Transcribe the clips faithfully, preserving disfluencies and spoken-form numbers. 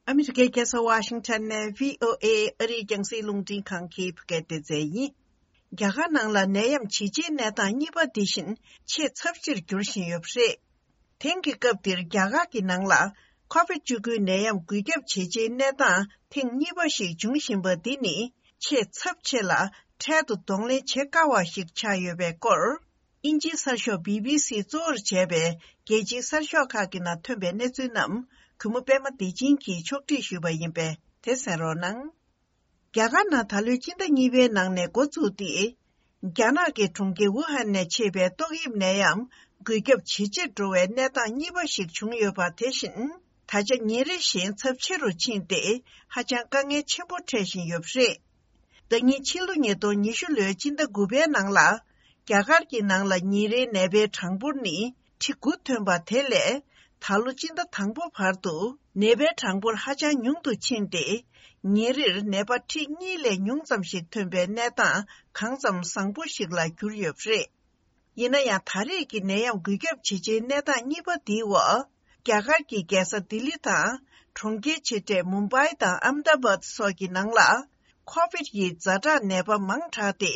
ཨ་མི་རི་ཀའི་རྒྱལ་ས་ཝ་ཤིང་ཊོན་ནས་བྷི་ཨོ་ཨེ་ཨ་རིའི་རྒྱང་སྲིང་རླུང་འཕྲིན་ཁང་གི་བོད་སྐད་སྡེ་ཚན་ཡིན། རྒྱ་གར་ནང་ལ་ནད་ཡམས་ཇི་ཆེའི་གནས་སྟངས་གཉིས་པ་འདི་བཞིན་ཆེས་ཚབས་ཆེར་འགྱུར་བཞིན་ཡོད་པ་རེད། དེང་གི་སྐབས་འདིར་རྒྱ་གར་གྱི་ནང་ལ་ཁོ་བིད་བཅུ་དགུའི་ནད་ཡམས་འགོས་ཁྱབ་ཇེ་ཆེའི་གནས་སྟངས་ཐེངས་གཉིས་པ་ཞིག་འབྱུང་བཞིན་པ་འདི་ནི་ཆེས་ཚབས་ཆེ་ལ་འཕྲལ་དུ་གདོང་ལེན་བྱེད་དཀའ་བ་ཞིག་ཆགས་ཡོད་པའི་སྐོར། དབྱིན་ཇིའི་གསར་ཤོག་བྷི་བྷི་སི་གཙོ་བོར་བྱས་པའི་རྒྱལ་སྤྱིའི་གསར་ཤོག་ཁག་གི་ནང་ཐོན་པའི་གནས་ཚུལ་རྣམས་གུས་མོ་པད་མ་བདེ་ཆེན་གྱིས་ཕྱོགས་སྒྲིག་ཞུས་པ་ཡིན་པས་དེ་གསན་རོགས་གནང་། རྒྱ་གར་ནང་ད་ལོའི་སྤྱི་ཟླ་གཉིས་པའི་ནང་ནས་འགོ་བཙུགས་ཏེ། རྒྱ་ནག་གི་གྲོང་ཁྱེར་ཝུ་ཧན་ནས་མཆེད་པའི་ཏོག་དབྱིབས་ནད་ཡམས་འགོས་ཁྱབ་ཇེ་ཆེར་འགྲོ་བའི་གནས་སྟངས་གཉིས་པ་ཞིག་བྱུང་ཡོད་པ་དེ་བཞིན་ད་ཆ་ཉིན་རེ་བཞིན་ཚབས་ཆེ་རུ་ཕྱིན་ཏེ་ཧ་ཅང་དཀའ་ངལ་ཆེན་པོ་འཕྲད་བཞིན་ཡོད་པ་རེད། ཟླ་ཉིན་ཕྱི་ལོ་ཉིས་སྟོང་ཉི་ཤུ་ལོའི་སྤྱི་ཟླ་དགུ་པའི་ནང་ལ། རྒྱ་གར་གྱི་ནང་ལ་ཉིན་རེའི་ནད་པའི་གྲངས་འབོར་ནི་ཁྲི་དགུ་ཐོན་པ་དེ་ལས། ད་ལོ་སྤྱི་ཟླ་དང་པོ་བར་དུ་ནད་པའི་གྲངས་འབོར་ཧ་ཅང་ཉུང་དུ་ཕྱིན་ཏེ། ཉིན་རེར་ནད་པ་ཁྲི་གཉིས་ལས་ཉུང་ཙམ་ཞིག་ཐོན་པའི་གནས་སྟངས་གང་ཙམ་བཟང་པོ་ཞིག་ལ་གྱུར་ཡོད་པ་རེད། ཡིན་ན་ཡང་ད་རེས་ཀྱི་ནད་ཡམས་འགོས་ཁྱབ་ཇེ་ཆེའི་གནས་སྟངས་གཉིས་པ་འདིའི་འོག་རྒྱ་གར་གྱི་རྒྱལ་ས་ལྡི་ལི་དང་གྲོང་ཁྱེར་ཆེ་གྲས་མུམ་བྷའི་དང་ཨམ་དཱ་བཱད་སོགས་ཀྱི་ནང་ལ་ཁོ་བིད་ཡི་ཛ་དྲག་ནད་པ་མང་དྲགས་ཏེ།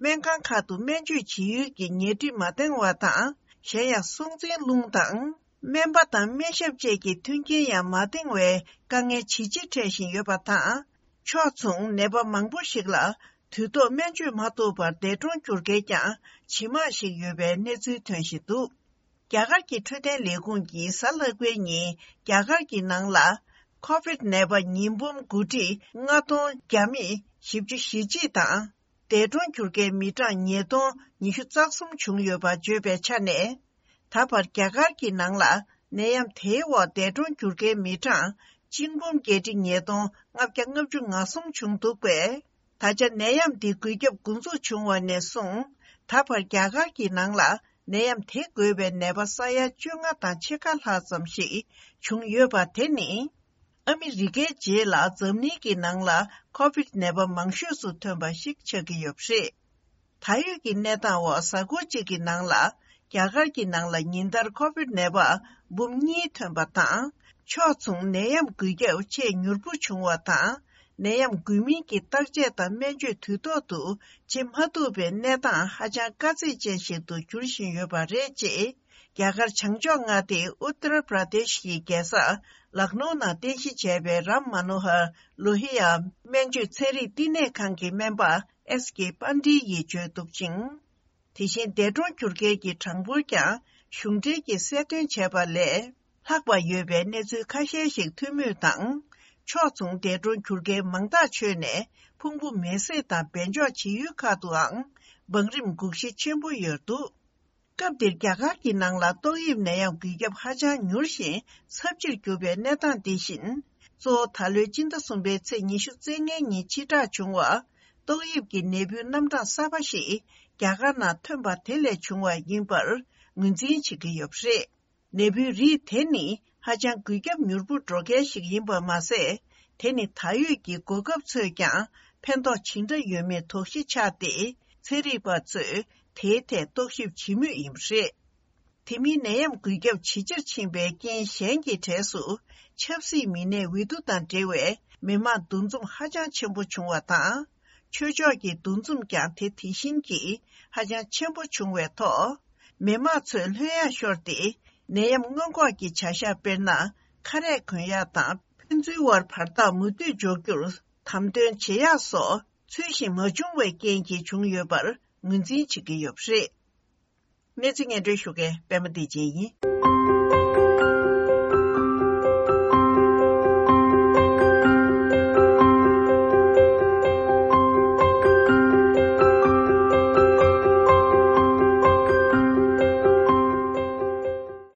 སྨན་ཁང་ཁག་ཏུ་སྨན་བཅོས་བྱེད་ཡུལ་གྱི་ཉལ་ཁྲི་མ་འདང་བ་དང་། གཞན་ཡང་སྲོག་འཛིན་རླུང་དང་། སྨན་པ་དང་སྨན་ཞབས་བཅས་ཀྱི་མཐུན་རྐྱེན་ཡང་མ་འདང་བའི་དཀའ་ངལ་ཇེ་ཆེ་འཕྲད་བཞིན་ཡོད་པ་དང་། ཕྱོགས་མཚུངས་ནད་པ་མང་པོ་ཞིག་ལ་དུས་ཐོག་སྨན་བཅོས་མ་ཐུབ་པར་འདས་གྲོངས་གྱུར་མཁན་ཀྱང་ཇེ་མང་ཞིག་ཡོད་པའི་གནས་ཚུལ་ཐོན་བཞིན་འདུག་རྒྱ་གར་གྱི་འཕྲོད་བསྟེན་ལས་ཁུངས་ཀྱིས་གཟའ་ལྷག་པའི་ཉིན་རྒྱ་གར་གྱི་ནང་ལ་ཁོ་བིད་ནད་པ་ཉིས་འབུམ་དགུ་ཁྲི་ལྔ་སྟོང་བརྒྱ་མེད་བཞི་བཅུ་ཞེ་གཅིག་དང་། འདས་གྲོངས་གྱུར་མཁན་མི་གྲངས་ཉིས་སྟོང་ཉི་ཤུ་རྩ་གསུམ་བྱུང་ཡོད་པ་བརྗོད་པའི་ཆ་ནས། ད་བར་རྒྱ་གར་གྱི་ནང་ལ་ནད་ཡམས་དེའི་འོག་འདས་གྲོངས་གྱུར་མཁན་མི་གྲངས་གཅིག་འབུམ་བརྒྱད་ཁྲི་ཉིས་སྟོང་ལྔ་བརྒྱ་ལྔ་བཅུ་ང་གསུམ་བྱུང་འདུག་པས། ད་ཆ་ནད་ཡམས་འདི་འགོས་ཁྱབ་འགོ་འཛུགས་བྱུང་བ་ནས་བཟུང་ད་བར་རྒྱ་གར་གྱི་ནང་ལ་ནད་ཡམས་དེ་འགོས་པའི་ནད་པ་ས་ཡ་བཅོ་ལྔ་དང་ཕྱེད་ཀ་ལྷག་ཙམ་ཞིག་བྱུང་ཡོད་པ་དེ་ནི། ཨ་མི་རི་ཀའི་རྗེས་ལ་འཛམ་གླིང་གི་ནང་ལ་ཁོ་བིད་ནད་པ་མང་ཤོས་སུ་ཐོན་པ་ཞིག་ཆགས་ཀྱི་ཡོད་པ་རེད། ད་ཡོད་ཀྱི་གནས་སྟངས་འོག་གཟའ་འཁོར་གཅིག་གི་ནང་ལ་རྒྱ་གར་གྱི་ནང་ལ་ཉིན་ལྟར་ཁོ་བིད་ནད་པ་འབུམ་གཉིས་ཐོན་པ་དང་། ཕྱོགས་མཚུངས་ནད་ཡམས་འགོས་ཁྱབ་ཆེས་མྱུར་པོ་བྱུང་བ་དང་། ནད་ཡམས་འགོས་མིན་གྱི་བརྟག་དཔྱད་དང་སྨན་བཅོས་དུས་ཐོག་ཏུ་བྱེད་མ་ཐུབ་པའི་གནས་སྟངས་ཧ་ཅང་དཀའ་ཚེགས་ཅན་ཞིག་ཏུ་འགྱུར་བཞིན་ཡོད་པ་རེད། ཅེས་རྒྱ་གར་བྱང་ཕྱོགས་མངའ་སྡེ་ཨུ་ཏར་པྲ་དེཤ་གི་རྒྱལ་ས་ལག་ནོ་ནང་རྟེན་གཞི་བྱས་པའི་རམ་མ་ནོ་ཧར་ལོ་ཧི་ཡ་སྨན་བཅོས་ཚན་རིག་བསྟི་གནས་ཁང་གི་སྨན་པ་ཨེས་ཀེ་པན་ཌི་ཡིས་བརྗོད་འདུག་ཅིང་། དེ་བཞིན་འདས་གྲོངས་གྱུར་མཁན་གྱི་གྲངས་འབོར་ཀྱང་གཞུང་འབྲེལ་གྱིས་གསལ་སྟོན་བྱས་པ་ལས་ལྷག་པ་ཡོད་པའི་གནས་ཚུལ་ཁ་ཤས་ཤིག་ཐོན་མུས་དང་། ཕྱོགས་མཚུངས་འདས་གྲོངས་གྱུར་མཁན་མང་ཐག་ཆོད་ནས་ཕུང་པོ་མེ་བསྲེགས་དང་སྦས་འཇོག་བྱེད་ཡུལ་ཁག་ཏུའང་བང་རིམ་འགུག་གཞི་ཆེན་པོ་ཡོད་འདུག་སྐབས་འདིར་རྒྱ་གར་གྱི་ནང་ལ་ཏོག་དབྱིབས་ནད་ཡམས་འགོས་ཁྱབ་ཧ་ཅང་མྱུར་ཞིང་ཚབས་ཆེར་གྱུར་པའི་གནས་སྟངས་འདི་བཞིན། གཙོ་བོ་ད་ལོའི་སྤྱི་ཟླ་གསུམ་པའི་ཚེས་ཉི་ཤུ་རྩ་ལྔའི་ཉིན་ཕྱིར་བསྒྲགས་བྱུང་བ། ཏོག་དབྱིབས་ཀྱི་ནད་འབུའི་རྣམ་གྲངས་གསར་པ་ཞིག་རྒྱ་གར་ནང་ཐོན་པ་དེ་ལས་བྱུང་བ་ཡིན་པར་ངོས་འཛིན་བྱེད་ཀྱི་ཡོད་པ་རེད། ནད་འབུའི་རིགས་དེ་ནི་ཧ་ཅང་འགོས་ཁྱབ་མྱུར་པོ་འགྲོ་མཁན་ཞིག་ཡིན་པ་མ་ཟད། དེ་ནི་ད་ཡོད་ཀྱི་འགོག་ཁབ་ཚོས་ཀྱང་ཕན་ཐོགས་ཇི་འདྲ་ཡོད་མེད་དོགས་གཞི་ཆགས་ཏེ། ཚན་རིག་པ་ཚོས་དེའི་ཐད་རྟོག་ཞིབ་བྱེད་མུས་ཡིན་པ་རེད། དེ་མིན་ནད་ཡམས་འགོས་ཁྱབ་ཇེ་ཆེར་ཕྱིན་པའི་རྐྱེན་གཞན་གྱི་གྲས་སུ། ཆབ་སྲིད་མི་སྣའི་འོས་བསྡུ་དང་འབྲེལ་བའི་མི་མང་འདུ་འཛོམས་ཧ་ཅང་ཆེན་པོ་བྱུང་བ་དང་། ཆོས་ཕྱོགས་ཀྱི་འདུ་འཛོམས་ཀྱང་དེ་དེ་བཞིན་གྱིས་ཧ་ཅང་ཆེན་པོ་བྱུང་བའི་ཐོག་མི་མང་ཚོས་ལྷོད་ཡངས་ཤོར་ཏེ། ནད་ཡམས་སྔོན་འགོག་གི་བྱ་གཞག་དཔེར་ན། ཁ་རས་གོན་ཡག་དང་ཕན་ཚུན་བར་བར་ཐག་མུ་མཐུད་འཇོག་རྒྱུར་དམ་དོན་བྱེད་ཡག་སོགས་ཚུལ་བཞིན་མ་བྱུང་བའི་རྐྱེན་གྱིས་བྱུང་ཡོད་པར་ངོས་འཛིན་བྱེད་ཀྱི་ཡོད་པ་རེད། གནས་ཚུལ་སྙན་སྒྲོན་ཞུ་མཁན་པད་མ་བདེ་ཆེན་ཡིན།